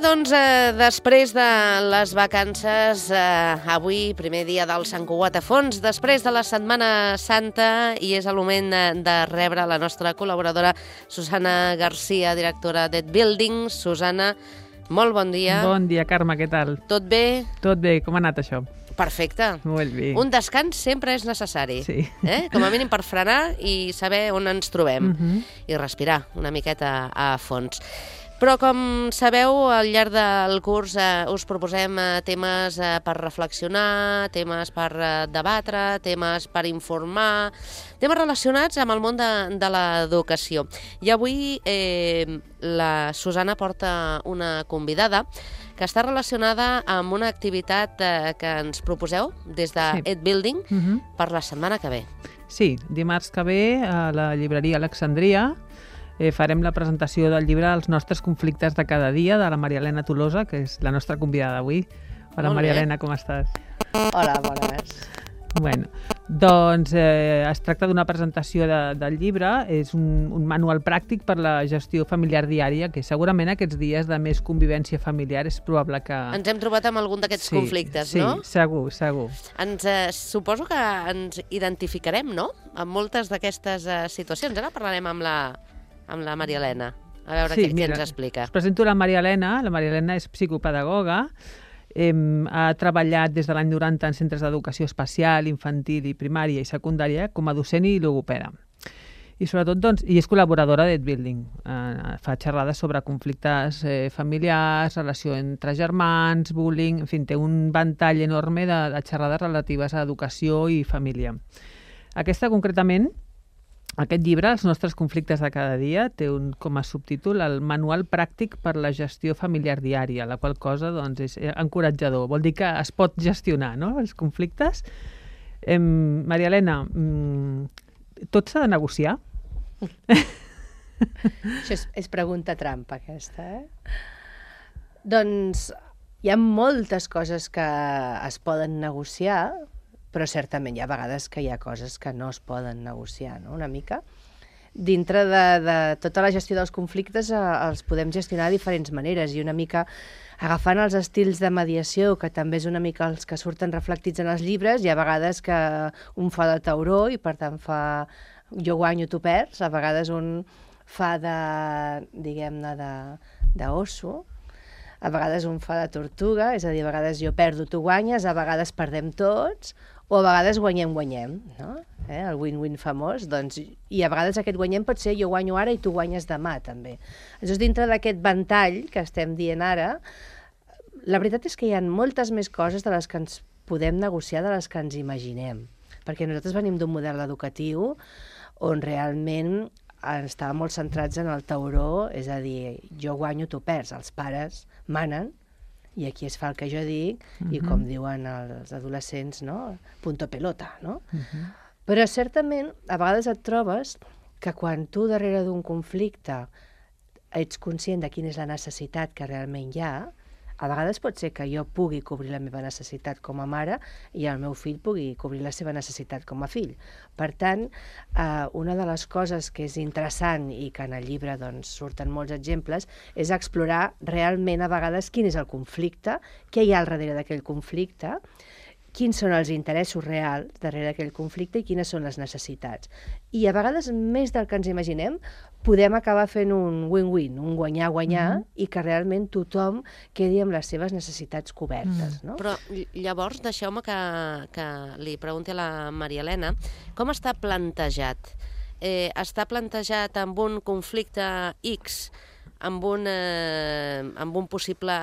doncs, després de les vacances, avui, primer dia del Sant Cugat a Fons, després de la Setmana Santa, i és el moment de rebre la nostra col·laboradora Susana Garcia, directora d'Ed Building. Susana, molt bon dia. Bon dia, Carme, què tal? Tot bé? Tot bé, com ha anat això? Perfecte. Molt bé. Un descans sempre és necessari, sí. Com a mínim per frenar i saber on ens trobem i respirar una miqueta a fons. Però, com sabeu, al llarg del curs us proposem temes per reflexionar, temes per debatre, temes per informar, temes relacionats amb el món de l'educació. I avui la Susana porta una convidada que està relacionada amb una activitat que ens proposeu des d'Ed Building per la setmana que ve. Sí, dimarts que ve a la llibreria Alexandria farem la presentació del llibre Els nostres conflictes de cada dia, de la Maria Elena Tolosa, que és la nostra convidada d'avui. Hola, Maria Elena, com estàs? Hola, bones. Bueno, doncs es tracta d'una presentació del llibre, és un manual pràctic per la gestió familiar diària, que segurament aquests dies de més convivència familiar és probable que... Ens hem trobat amb algun d'aquests conflictes, no? Sí, segur. Suposo que ens identificarem, no?, amb moltes d'aquestes situacions. Ara parlarem amb la Maria Elena, a veure què ens explica. Us presento la Maria Elena. La Maria Elena és psicopedagoga, ha treballat des de l'any 90 en centres d'educació especial, infantil i primària i secundària com a docent i logopeda. I sobretot, doncs, és col·laboradora d'Ed Building. Fa xerrades sobre conflictes familiars, relació entre germans, bullying, en fi, té un ventall enorme de xerrades relatives a educació i família. Aquesta, concretament, aquest llibre, Els nostres conflictes de cada dia, té com a subtítol el manual pràctic per la gestió familiar diària, la qual cosa doncs, és encoratjador. Vol dir que es pot gestionar, no?, els conflictes. Maria Elena, tot s'ha de negociar? Això és pregunta trampa, aquesta, Doncs hi ha moltes coses que es poden negociar, però certament hi ha vegades que hi ha coses que no es poden negociar, no?, una mica. Dintre de tota la gestió dels conflictes els podem gestionar de diferents maneres i una mica agafant els estils de mediació, que també és una mica els que surten reflectits en els llibres. Hi ha vegades que un fa de tauró i per tant fa jo guanyo, tu perds, a vegades un fa diguem-ne, d'osso, a vegades un fa de tortuga, és a dir, a vegades jo perdo, tu guanyes, a vegades perdem tots, o a vegades guanyem, no? El win-win famós, doncs, i a vegades aquest guanyem pot ser jo guanyo ara i tu guanyes demà, també. Llavors, dintre d'aquest ventall que estem dient ara, la veritat és que hi ha moltes més coses de les que ens podem negociar de les que ens imaginem, perquè nosaltres venim d'un model educatiu on realment estàvem molt centrats en el tauró, és a dir, jo guanyo, tu perds, els pares manen, i aquí es fa el que jo dic, i com diuen els adolescents, no?, punto pelota, no? Però certament, a vegades et trobes que quan tu darrere d'un conflicte ets conscient de quina és la necessitat que realment hi ha, a vegades pot ser que jo pugui cobrir la meva necessitat com a mare i el meu fill pugui cobrir la seva necessitat com a fill. Per tant, una de les coses que és interessant i que en el llibre doncs, surten molts exemples és explorar realment a vegades quin és el conflicte, què hi ha al darrere d'aquell conflicte, quins són els interessos reals darrere d'aquell conflicte i quines són les necessitats. I a vegades, més del que ens imaginem, podem acabar fent un win-win, un guanyar-guanyar, i que realment tothom quedi amb les seves necessitats cobertes. No? Però llavors, deixeu-me que li pregunti a la Maria Elena, com està plantejat? Està plantejat amb un conflicte X, amb un possible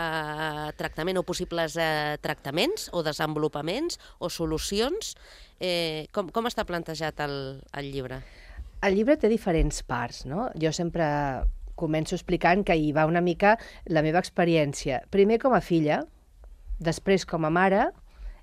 tractament o possibles tractaments o desenvolupaments o solucions? Com està plantejat el llibre? El llibre té diferents parts, no? Jo sempre començo explicant que hi va una mica la meva experiència. Primer com a filla, després com a mare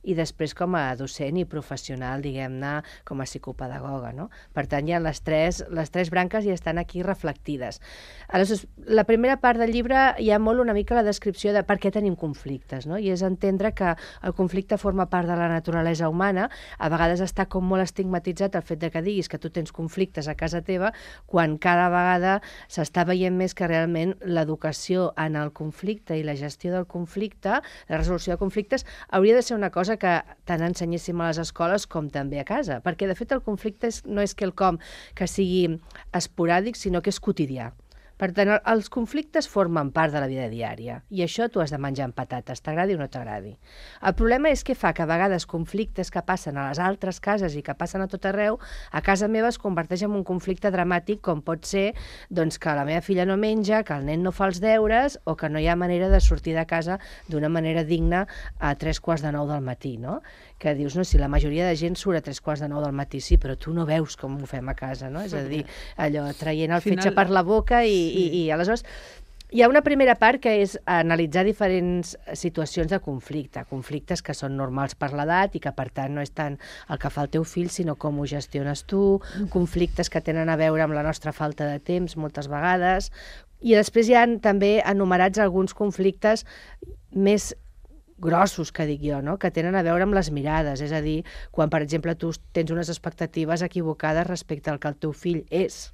i després com a docent i professional, diguem-ne, com a psicopedagoga, no? Per tant, hi ha les tres branques i estan aquí reflectides. Aleshores, la primera part del llibre hi ha molt una mica la descripció de per què tenim conflictes, no? I és entendre que el conflicte forma part de la naturalesa humana. A vegades està com molt estigmatitzat el fet de que diguis que tu tens conflictes a casa teva, quan cada vegada s'està veient més que realment l'educació en el conflicte i la gestió del conflicte, la resolució de conflictes, hauria de ser una cosa que tant ensenyéssim a les escoles com també a casa, perquè de fet el conflicte no és quelcom que sigui esporàdic, sinó que és quotidià. Per tant, els conflictes formen part de la vida diària i això tu has de menjar amb patates, t'agradi o no t'agradi. El problema és que fa que a vegades conflictes que passen a les altres cases i que passen a tot arreu, a casa meva es converteix en un conflicte dramàtic, com pot ser doncs, que la meva filla no menja, que el nen no fa els deures o que no hi ha manera de sortir de casa d'una manera digna a 3:45 del matí, no? Que dius, no, si la majoria de gent surt a 3:45 del matí, sí, però tu no veus com ho fem a casa, no? És a dir, allò, traient el fetge per la boca i aleshores hi ha una primera part que és analitzar diferents situacions de conflicte, conflictes que són normals per l'edat i que per tant no és tant el que fa el teu fill, sinó com ho gestiones tu, conflictes que tenen a veure amb la nostra falta de temps moltes vegades, i després hi ha també enumerats alguns conflictes més grossos, que dic jo, no? Que tenen a veure amb les mirades, és a dir, quan per exemple tu tens unes expectatives equivocades respecte al que el teu fill és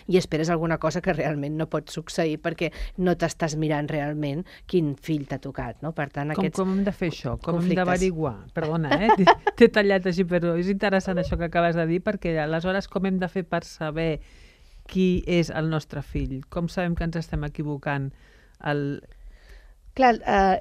i esperes alguna cosa que realment no pot succeir perquè no t'estàs mirant realment quin fill t'ha tocat, no? Per tant, com hem de fer això? Com hem d'averiguar? Perdona, t'he tallat així, però és interessant això que acabes de dir, perquè aleshores com hem de fer per saber qui és el nostre fill? Com sabem que ens estem equivocant? Clar,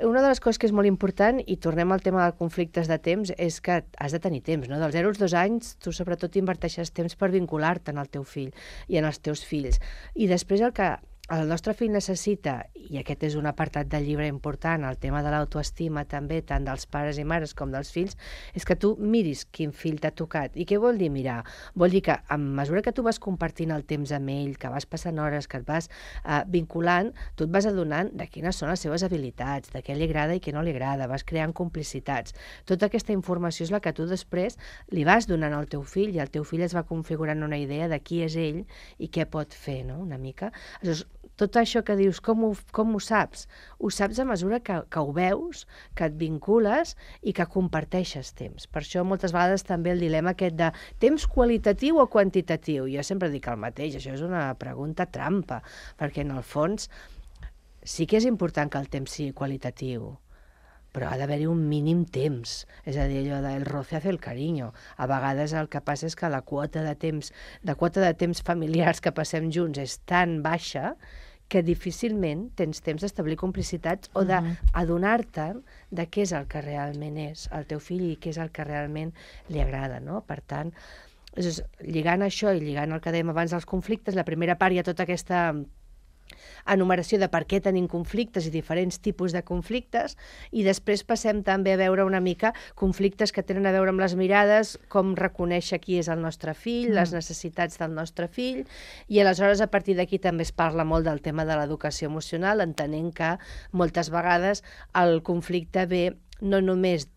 una de les coses que és molt important, i tornem al tema dels conflictes de temps, és que has de tenir temps, no? Dels 0 als 2 anys, tu sobretot inverteixes temps per vincular-te en el teu fill i en els teus fills. I després el que el nostre fill necessita, i aquest és un apartat del llibre important, el tema de l'autoestima també, tant dels pares i mares com dels fills, és que tu miris quin fill t'ha tocat. I què vol dir mirar? Vol dir que a mesura que tu vas compartint el temps amb ell, que vas passant hores, que et vas vinculant, tu et vas adonant de quines són les seves habilitats, de què li agrada i què no li agrada, vas creant complicitats. Tota aquesta informació és la que tu després li vas donant al teu fill i el teu fill es va configurant una idea de qui és ell i què pot fer, no? Una mica. Aleshores, tot això que dius, com ho saps? Ho saps a mesura que ho veus, que et vincules i que comparteixes temps. Per això moltes vegades també el dilema aquest de temps qualitatiu o quantitatiu. Jo sempre dic el mateix, això és una pregunta trampa, perquè en el fons sí que és important que el temps sigui qualitatiu, però ha d'haver-hi un mínim temps. És a dir, allò del roce hace el cariño. A vegades el que passa és que la quota de temps familiars que passem junts és tan baixa que difícilment tens temps d'establir complicitats o d'adonar-te de què és el que realment és el teu fill i què és el que realment li agrada, no? Per tant, lligant això i lligant el que dèiem abans dels conflictes, la primera part hi ha tota aquesta enumeració de per què tenim conflictes i diferents tipus de conflictes, i després passem també a veure una mica conflictes que tenen a veure amb les mirades, com reconèixer qui és el nostre fill, les necessitats del nostre fill, i aleshores a partir d'aquí també es parla molt del tema de l'educació emocional, entenent que moltes vegades el conflicte ve no només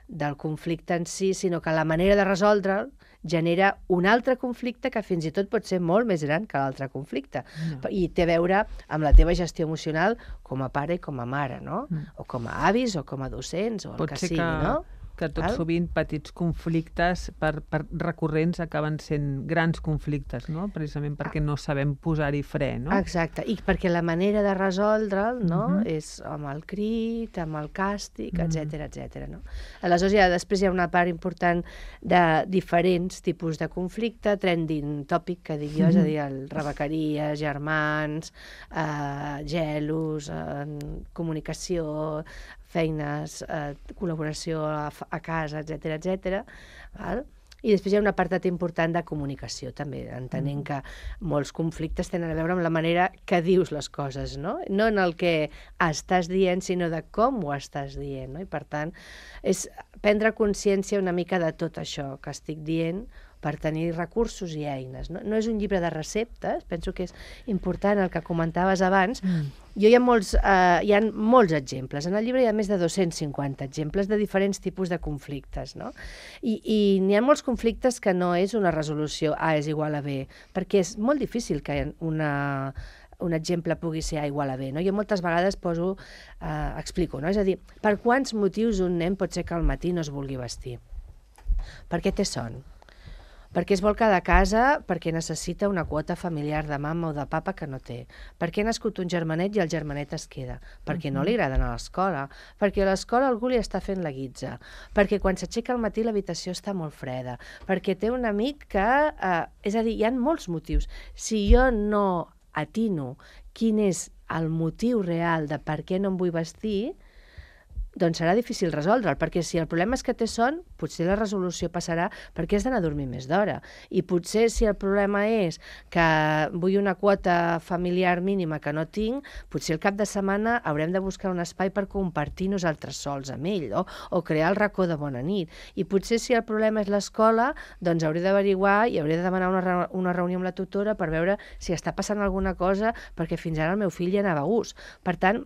del conflicte en si, sinó que la manera de resoldre'l genera un altre conflicte que fins i tot pot ser molt més gran que l'altre conflicte. I té a veure amb la teva gestió emocional com a pare i com a mare, no? O com a avis o com a docents o el que sigui, no? Que tot sovint petits conflictes recurrents acaben sent grans conflictes, no? Precisament perquè no sabem posar-hi fre, no? Exacte, i perquè la manera de resoldre'l, no? És amb el crit, amb el càstig, etc. No? Aleshores, després hi ha una part important de diferents tipus de conflicte, trending topic, que dic jo, és a dir, rebequeries, germans, gelos, comunicació, feines, col·laboració a casa, etc. I després hi ha un apartat important de comunicació, també, entenent que molts conflictes tenen a veure amb la manera que dius les coses, no? No en el que estàs dient, sinó de com ho estàs dient, no? I per tant, és prendre consciència una mica de tot això que estic dient per tenir recursos i eines. No és un llibre de receptes, penso que és important el que comentaves abans, hi ha molts exemples. En el llibre hi ha més de 250 exemples de diferents tipus de conflictes, no? I n'hi ha molts conflictes que no és una resolució A és igual a B, perquè és molt difícil que un exemple pugui ser A igual a B, no? Jo moltes vegades explico, no? És a dir, per quants motius un nen pot ser que al matí no es vulgui vestir? Per què té son? Perquè es vol quedar a casa perquè necessita una quota familiar de mama o de papa que no té. Perquè ha nascut un germanet i el germanet es queda. Perquè no li agrada anar a l'escola. Perquè a l'escola algú li està fent la guitza. Perquè quan s'aixeca al matí l'habitació està molt freda. Perquè té un amic que... és a dir, hi ha molts motius. Si jo no atino quin és el motiu real de per què no em vull vestir, doncs serà difícil resoldre'l, perquè si el problema és que té son, potser la resolució passarà perquè has d'anar a dormir més d'hora. I potser si el problema és que vull una quota familiar mínima que no tinc, potser el cap de setmana haurem de buscar un espai per compartir nosaltres sols amb ell, o crear el racó de bona nit. I potser si el problema és l'escola, doncs hauré d'averiguar i hauré de demanar una reunió amb la tutora per veure si està passant alguna cosa, perquè fins ara el meu fill hi anava a gust. Per tant,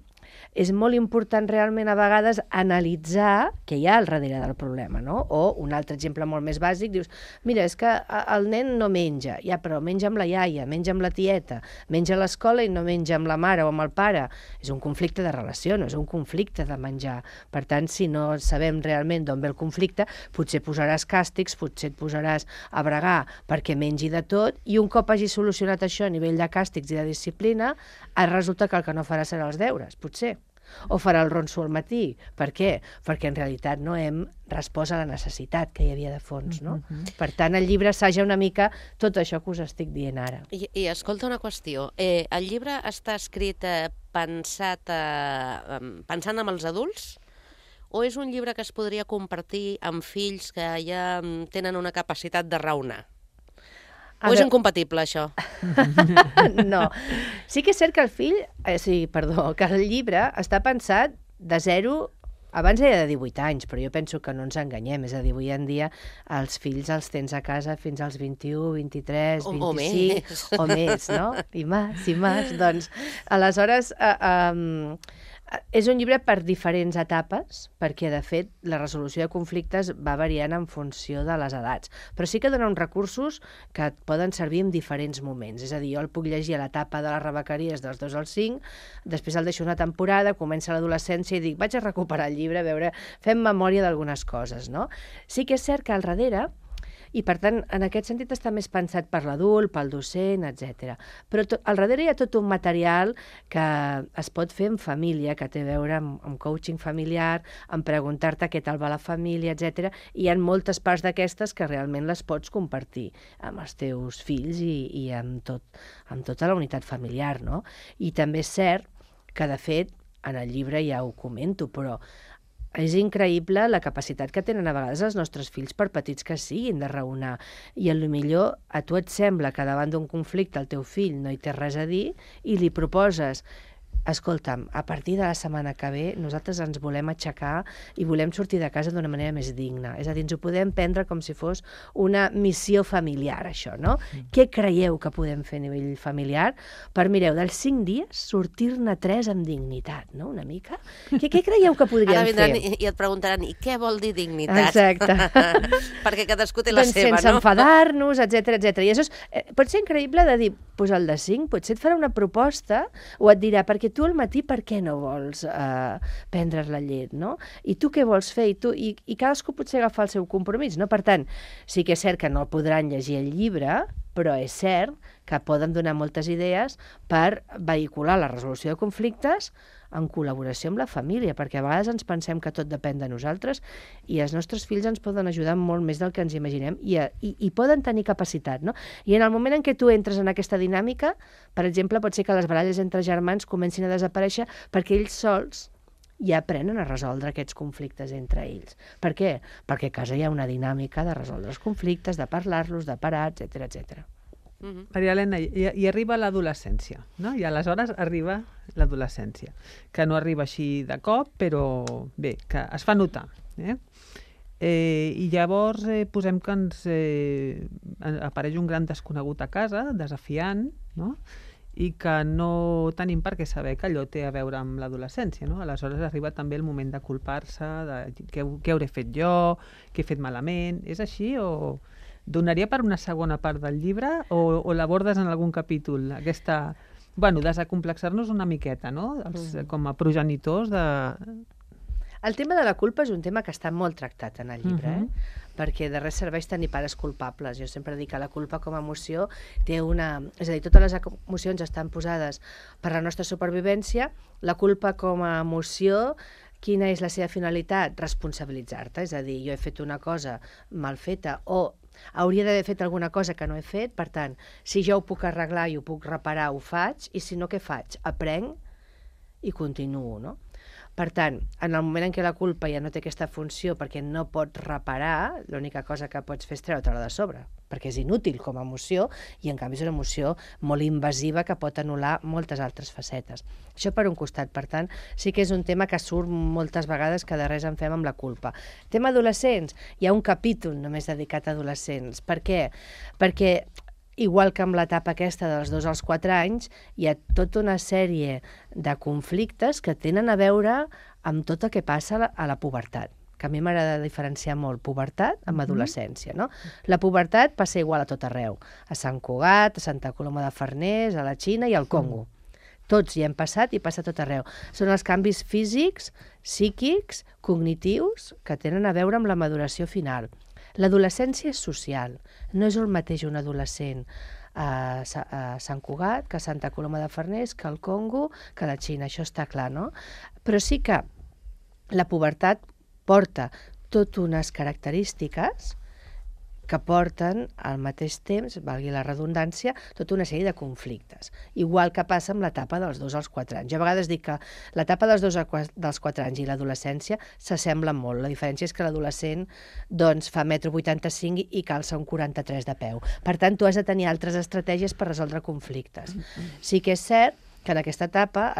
és molt important realment a vegades analitzar què hi ha al darrere del problema, no? O un altre exemple molt més bàsic, dius, mira, és que el nen no menja, ja, però menja amb la iaia, menja amb la tieta, menja a l'escola i no menja amb la mare o amb el pare. És un conflicte de relació, no és un conflicte de menjar. Per tant, si no sabem realment d'on ve el conflicte, potser posaràs càstigs, potser et posaràs a bregar perquè mengi de tot, i un cop hagi solucionat això a nivell de càstigs i de disciplina, resulta que el que no farà serà els deures, potser. O farà el ronso al matí. Per què? Perquè en realitat no hem respost a la necessitat que hi havia de fons, no? Per tant, el llibre assaja una mica tot això que us estic dient ara. I escolta una qüestió. El llibre està escrit pensant amb els adults? O és un llibre que es podria compartir amb fills que ja tenen una capacitat de raonar? O és incompatible, això? No. Sí que és cert que que el llibre està pensat de 0... Abans era de 18 anys, però jo penso que no ens enganyem. És a dir, avui en dia els fills els tens a casa fins als 21, 23, 25... O més, no? I més. Doncs, aleshores... és un llibre per diferents etapes, perquè, de fet, la resolució de conflictes va variant en funció de les edats. Però sí que dona uns recursos que et poden servir en diferents moments. És a dir, jo el puc llegir a l'etapa de les rebequeries dels 2 als 5, després el deixo una temporada, comença l'adolescència i dic, vaig a recuperar el llibre, a veure, fem memòria d'algunes coses, no? Sí que és cert que al darrere, i per tant, en aquest sentit està més pensat per l'adult, pel docent, etc. Però al darrere hi ha tot un material que es pot fer en família, que té a veure amb coaching familiar, amb preguntar-te què tal va la família, etc. I hi ha moltes parts d'aquestes que realment les pots compartir amb els teus fills i amb tota la unitat familiar, no? I també és cert que, de fet, en el llibre ja ho comento, però és increïble la capacitat que tenen a vegades els nostres fills, per petits que siguin, de raonar. I potser a tu et sembla que davant d'un conflicte el teu fill no hi té res a dir i li proposes, escolta'm, a partir de la setmana que ve nosaltres ens volem aixecar i volem sortir de casa d'una manera més digna. És a dir, ens ho podem prendre com si fos una missió familiar, això, no? Què creieu que podem fer a nivell familiar per, mireu, dels 5 dies sortir-ne 3 amb dignitat, no? Una mica. Què creieu que podríem fer? Ara vindran i et preguntaran, i què vol dir dignitat? Exacte. Perquè cadascú té la seva, no? Sense enfadar-nos, etc. I això pot ser increïble de dir, doncs el de 5 potser et farà una proposta o et dirà, perquè tu al matí per què no vols prendre's la llet, no? I tu què vols fer? I cadascú potser agafa el seu compromís, no? Per tant, sí que és cert que no podran llegir el llibre, però és cert que poden donar moltes idees per vehicular la resolució de conflictes en col·laboració amb la família, perquè a vegades ens pensem que tot depèn de nosaltres i els nostres fills ens poden ajudar molt més del que ens imaginem i poden tenir capacitat, no? I en el moment en què tu entres en aquesta dinàmica, per exemple, pot ser que les baralles entre germans comencin a desaparèixer perquè ells sols ja aprenen a resoldre aquests conflictes entre ells. Per què? Perquè a casa hi ha una dinàmica de resoldre els conflictes, de parlar-los, de parar, etc. Maria Elena, i arriba l'adolescència, no? I aleshores arriba l'adolescència, que no arriba així de cop, però bé, que es fa notar. I llavors posem que ens apareix un gran desconegut a casa, desafiant, no? i que no tenim per què saber que allò té a veure amb l'adolescència, no? Aleshores arriba també el moment de culpar-se, de què hauré fet jo, què he fet malament. És així o donaria per una segona part del llibre o l'abordes en algun capítol? Aquesta, desacomplexar-nos una miqueta, no? Com a progenitors de... El tema de la culpa és un tema que està molt tractat en el llibre, perquè de res serveix tenir pares culpables. Jo sempre dic que la culpa com a emoció té una... És a dir, totes les emocions estan posades per la nostra supervivència. La culpa com a emoció, quina és la seva finalitat? Responsabilitzar-te. És a dir, jo he fet una cosa mal feta o hauria d'haver fet alguna cosa que no he fet. Per tant, si jo ho puc arreglar i ho puc reparar, ho faig. I si no, què faig? Aprenc i continuo, no? Per tant, en el moment en què la culpa ja no té aquesta funció perquè no pots reparar, l'única cosa que pots fer és treure-te-la de sobre, perquè és inútil com a emoció i en canvi és una emoció molt invasiva que pot anul·lar moltes altres facetes. Això per un costat, per tant, sí que és un tema que surt moltes vegades que de res en fem amb la culpa. Tema adolescents, hi ha un capítol només dedicat a adolescents. Per què? Perquè igual que amb l'etapa aquesta dels 2 als 4 anys, hi ha tota una sèrie de conflictes que tenen a veure amb tot el que passa a la pubertat, que a mi m'agrada diferenciar molt pubertat amb adolescència, no? La pubertat passa igual a tot arreu, a Sant Cugat, a Santa Coloma de Farners, a la Xina i al Congo. Tots hi hem passat i passa a tot arreu. Són els canvis físics, psíquics, cognitius, que tenen a veure amb la maduració final. L'adolescència és social, no és el mateix un adolescent a Sant Cugat, que a Santa Coloma de Farners, que al Congo, que a la Xina, això està clar, no? Però sí que la pubertat porta tot unes característiques que porten al mateix temps, valgui la redundància, tota una sèrie de conflictes. Igual que passa amb l'etapa dels 2 als 4 anys. Jo a vegades dic que l'etapa dels 2 als 4 anys i l'adolescència s'assemblen molt. La diferència és que l'adolescent doncs, fa 1,85 m i calça un 43 de peu. Per tant, tu has de tenir altres estratègies per resoldre conflictes. Sí que és cert que en aquesta etapa,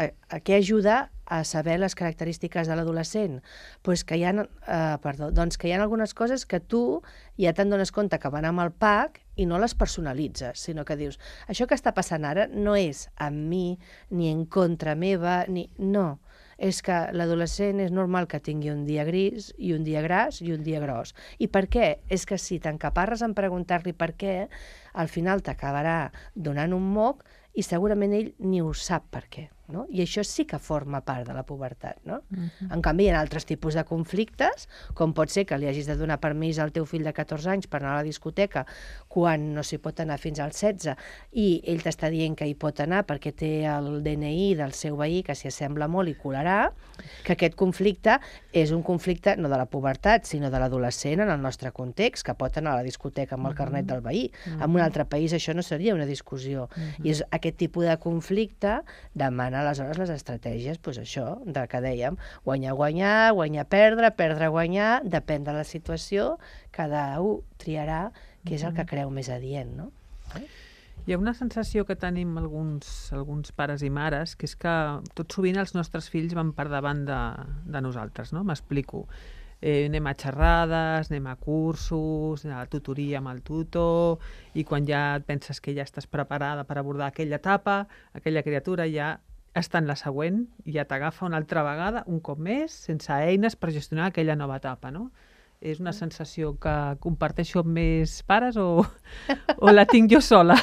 què ajuda a saber les característiques de l'adolescent? Pues que hi ha, que hi ha algunes coses que tu ja te'n dones compte que van amb el pack i no les personalitzes, sinó que dius, això que està passant ara no és amb mi, ni en contra meva, no. És que l'adolescent és normal que tingui un dia gris i un dia gras i un dia gros. I per què? És que si t'encaparres en preguntar-li per què, al final t'acabarà donant un moc i segurament ell ni ho sap per què. No? I això sí que forma part de la pubertat. No? En canvi, hi ha altres tipus de conflictes, com pot ser que li hagis de donar permís al teu fill de 14 anys per anar a la discoteca quan no s'hi pot anar fins als 16 i ell t'està dient que hi pot anar perquè té el DNI del seu veí que s'hi assembla molt i colarà, que aquest conflicte és un conflicte no de la pubertat, sinó de l'adolescent en el nostre context, que pot anar a la discoteca amb el carnet del veí. En un altre país això no seria una discussió. I és aquest tipus de conflicte demana aleshores les estratègies, doncs això, de que dèiem, guanyar-guanyar, guanyar-perdre, perdre-guanyar, depèn de la situació, cada un triarà què és el que creu més adient, no? Hi ha una sensació que tenim alguns pares i mares, que és que tot sovint els nostres fills van per davant de nosaltres, no? M'explico. Anem a xerrades, anem a cursos, a tutoria amb el tutor, i quan ja et penses que ja estàs preparada per abordar aquella etapa, aquella criatura ja està en la següent i ja t'agafa una altra vegada, un cop més, sense eines per gestionar aquella nova etapa, no? És una sensació que comparteixo amb més pares o la tinc jo sola?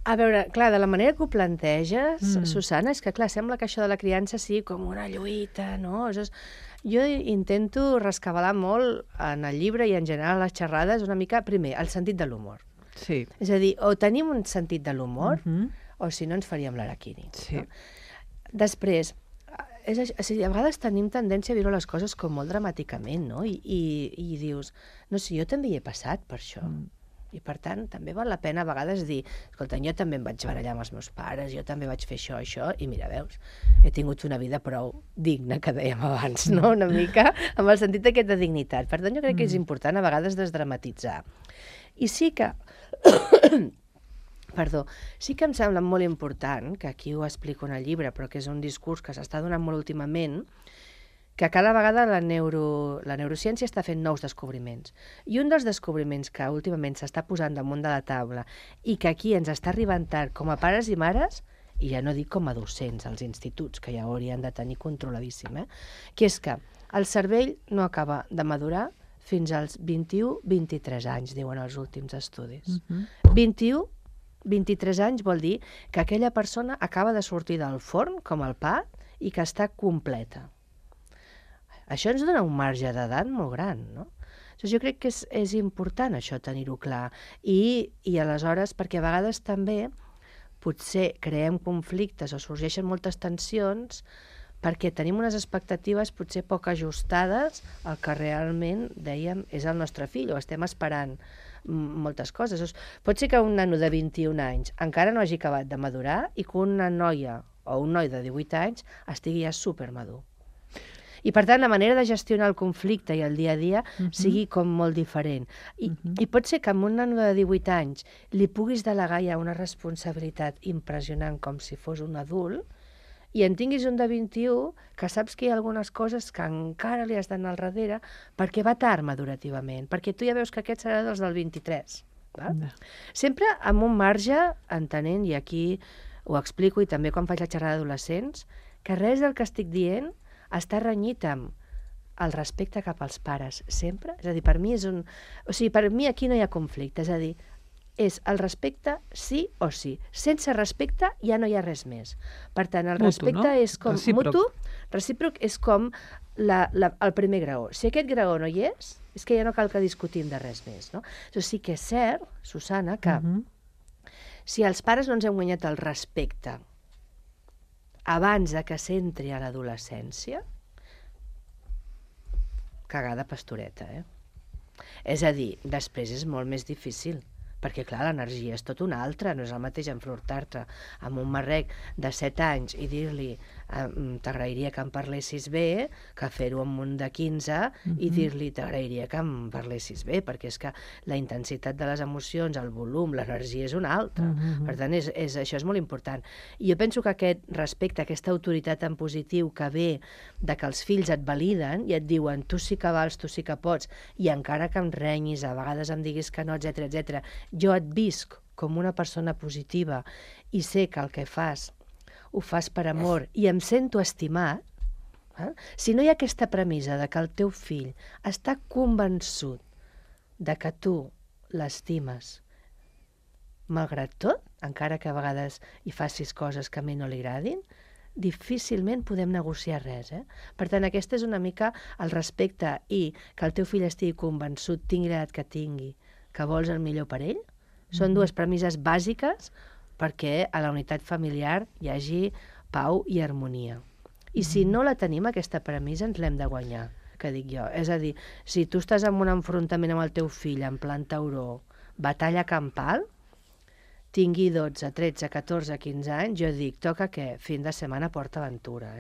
A veure, clar, de la manera que ho planteges, Susana, és que, clar, sembla que això de la criança sigui com una lluita, no? Jo intento rescabalar molt en el llibre i en general a les xerrades una mica, primer, el sentit de l'humor. Sí. És a dir, o tenim un sentit de l'humor, o si no ens faríem l'araquiri. Sí. No? Després, a vegades tenim tendència a viure les coses com molt dramàticament, no? I dius, no sé, jo també hi he passat per això. I per tant, també val la pena a vegades dir, escolta, jo també em vaig barallar amb els meus pares, jo també vaig fer això, i mira, veus, he tingut una vida prou digna, que dèiem abans, no? Una mica amb el sentit aquest de dignitat. Per tant, jo crec que és important a vegades desdramatitzar. I sí que... Perdó, sí que em sembla molt important, que aquí ho explico en el llibre, però que és un discurs que s'està donant molt últimament, que cada vegada la neurociència està fent nous descobriments. I un dels descobriments que últimament s'està posant damunt de la taula i que aquí ens està arribant tard com a pares i mares, i ja no dic com a docents als instituts, que ja ho haurien de tenir controladíssim, que és que el cervell no acaba de madurar fins als 21-23 anys, diuen els últims estudis. 21-23 anys vol dir que aquella persona acaba de sortir del forn, com el pa, i que està completa. Això ens dona un marge d'edat molt gran, no? Jo crec que és important això, tenir-ho clar. I aleshores, perquè a vegades també potser creem conflictes o sorgeixen moltes tensions perquè tenim unes expectatives potser poc ajustades al que realment, dèiem, és el nostre fill, o estem esperant moltes coses. Pot ser que un nano de 21 anys encara no hagi acabat de madurar i que una noia o un noi de 18 anys estigui ja supermadur. I, per tant, la manera de gestionar el conflicte i el dia a dia sigui com molt diferent. I pot ser que amb un nano de 18 anys li puguis delegar ja una responsabilitat impressionant com si fos un adult, i en tinguis un de 21 que saps que hi ha algunes coses que encara li has d'anar al darrere perquè va tard madurativament, perquè tu ja veus que aquest serà dels del 23. Val? Sempre amb un marge, entenent, i aquí ho explico i també quan faig la xerrada d'adolescents, que res del que estic dient està renyit amb el respecte cap als pares, sempre. És a dir, per mi és un... O sigui, per mi aquí no hi ha conflicte, és a dir, és el respecte sí o sí. Sense respecte ja no hi ha res més. Per tant, el respecte és com mutu, recíproc és com el primer graó. Si aquest graó no hi és que ja no cal que discutim de res més, no? Això sí que és cert, Susana, que si els pares no ens hem guanyat el respecte abans de que s'entri a l'adolescència, cagada pastoreta, És a dir, després és molt més difícil, perquè, clar, l'energia és tot una altra, no és el mateix enfrontar-te amb un marrec de 7 anys i dir-li t'agrairia que em parlessis bé, que fer-ho amb un de 15 i dir-li t'agrairia que em parlessis bé, perquè és que la intensitat de les emocions, el volum, l'energia és una altra. Per tant, això és molt important. I jo penso que aquest respecte, aquesta autoritat en positiu que ve de que els fills et validen i et diuen tu sí que vals, tu sí que pots, i encara que em renyis, a vegades em diguis que no, etc, jo et visc com una persona positiva i sé que el que fas ho fas per amor i em sento estimat, si no hi ha aquesta premissa de que el teu fill està convençut de que tu l'estimes malgrat tot, encara que a vegades hi facis coses que a mi no li agradin, difícilment podem negociar res. Per tant, aquesta és una mica el respecte i que el teu fill estigui convençut, tingui l'edat que tingui, que vols el millor per ell. Són dues premisses bàsiques perquè a la unitat familiar hi hagi pau i harmonia. I si no la tenim, aquesta premissa, ens l'hem de guanyar, que dic jo. És a dir, si tu estàs en un enfrontament amb el teu fill en plan tauró, batalla campal, tingui 12, 13, 14, 15 anys, jo dic, toca què? Fin de setmana PortAventura,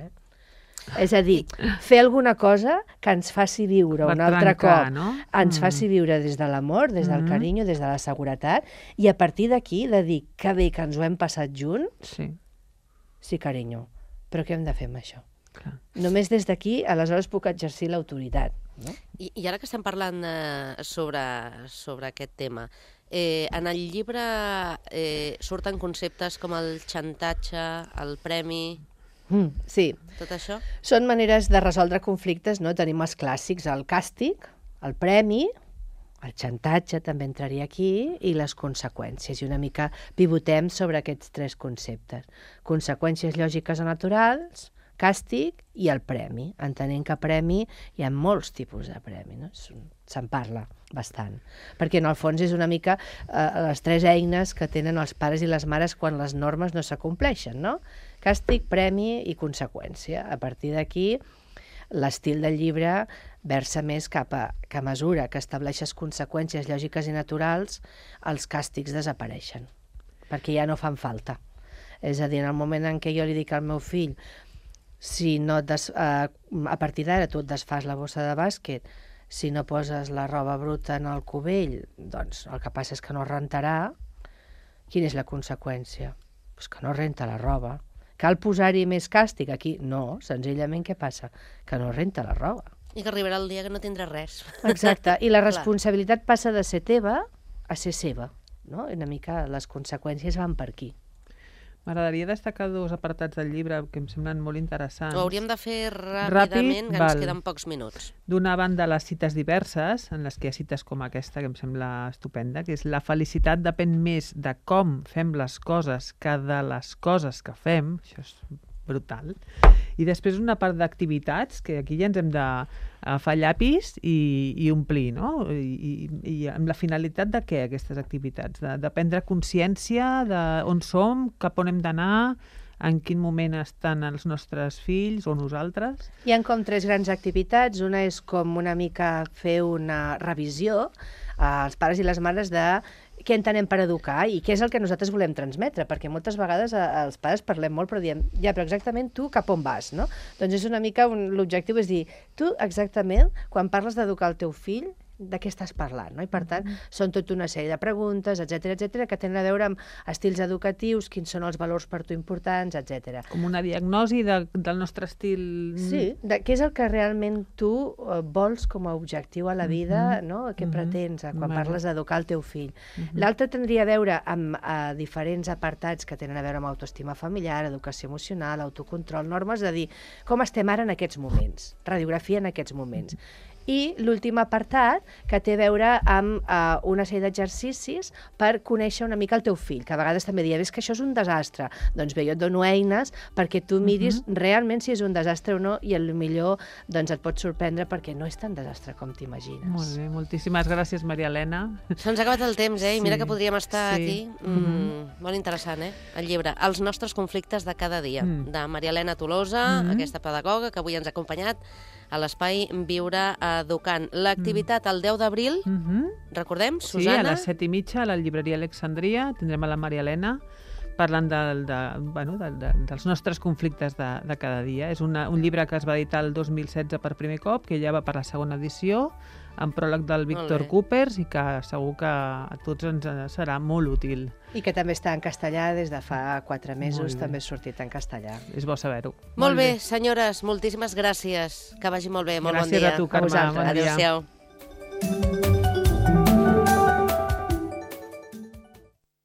És a dir, fer alguna cosa que ens faci viure un altre cop, ens faci viure des de l'amor, des del carinyo, des de la seguretat, i a partir d'aquí de dir que bé que ens ho hem passat junts, sí, carinyo, però què hem de fer amb això? Només des d'aquí, aleshores puc exercir l'autoritat. I ara que estem parlant sobre aquest tema, en el llibre surten conceptes com el xantatge, el premi... Sí. Tot això? Són maneres de resoldre conflictes, no? Tenim els clàssics, el càstig, el premi, el xantatge també entraria aquí, i les conseqüències. I una mica pivotem sobre aquests 3 conceptes. Conseqüències lògiques o naturals, càstig i el premi. Entenent que premi hi ha molts tipus de premi, no? Se'n parla bastant. Perquè en el fons és una mica les 3 eines que tenen els pares i les mares quan les normes no s'acompleixen, no? Càstig, premi i conseqüència. A partir d'aquí, l'estil del llibre versa més cap a que a mesura que estableixes conseqüències lògiques i naturals, els càstigs desapareixen, perquè ja no fan falta. És a dir, en el moment en què jo li dic al meu fill, si no a partir d'ara tu et desfas la bossa de bàsquet, si no poses la roba bruta en el cubell, doncs el que passa és que no rentarà. Quina és la conseqüència? Pues que no renta la roba, cal posar-hi més càstig aquí? No, senzillament què passa? Que no renta la roba. I que arribarà el dia que no tindrà res. Exacte, i la responsabilitat passa de ser teva a ser seva, no? Una mica les conseqüències van per aquí. M'agradaria destacar dos apartats del llibre que em semblen molt interessants. Ho hauríem de fer ràpidament, que ens queden pocs minuts. D'una banda, les cites diverses, en les que hi ha cites com aquesta, que em sembla estupenda, que és la felicitat depèn més de com fem les coses que de les coses que fem. Això és brutal. I després una part d'activitats, que aquí ja ens hem d'agafar llapis i omplir, no? I amb la finalitat de què, aquestes activitats? De prendre consciència d'on som, cap on hem d'anar, en quin moment estan els nostres fills o nosaltres. Hi ha com 3 grans activitats. Una és com una mica fer una revisió als pares i les mares de què entenem per educar i què és el que nosaltres volem transmetre, perquè moltes vegades els pares parlem molt però diem, ja, però exactament tu cap on vas, no? Doncs és una mica, l'objectiu és dir, tu exactament, quan parles d'educar el teu fill, de què estàs parlant, no? I per tant, són tota una sèrie de preguntes, etc que tenen a veure amb estils educatius, quins són els valors per tu importants, etc. Com una diagnosi del nostre estil... Sí, què és el que realment tu vols com a objectiu a la vida, no? Què pretens quan parles d'educar el teu fill. L'altre tindria a veure amb diferents apartats que tenen a veure amb autoestima familiar, educació emocional, autocontrol, normes, de dir com estem ara en aquests moments, radiografia en aquests moments. I l'últim apartat, que té a veure amb una sèrie d'exercicis per conèixer una mica el teu fill, que a vegades també diuen, és que això és un desastre. Doncs bé, jo et dono eines perquè tu miris realment si és un desastre o no i millor doncs, et pot sorprendre perquè no és tan desastre com t'imagines. Molt bé, moltíssimes gràcies, Maria Elena. Se'ns ha acabat el temps, I mira que podríem estar aquí. Molt interessant, El llibre Els nostres conflictes de cada dia, de Maria Elena Tolosa, aquesta pedagoga que avui ens ha acompanyat a l'espai Viure Educant. L'activitat el 10 d'abril, recordem, Susana? Sí, a les 7:30 a la llibreria Alexandria tindrem a la Maria Elena parlant dels nostres conflictes de cada dia. És un llibre que es va editar el 2016 per primer cop, que ja va per la segona edició, amb pròleg del Víctor Coopers, i que segur que a tots ens serà molt útil. I que també està en castellà des de fa 4 mesos, també ha sortit en castellà. És bo saber-ho. Molt bé, senyores, moltíssimes gràcies. Que vagi molt bé, molt bon dia. Gràcies a tu, Carme. Adéu-siau.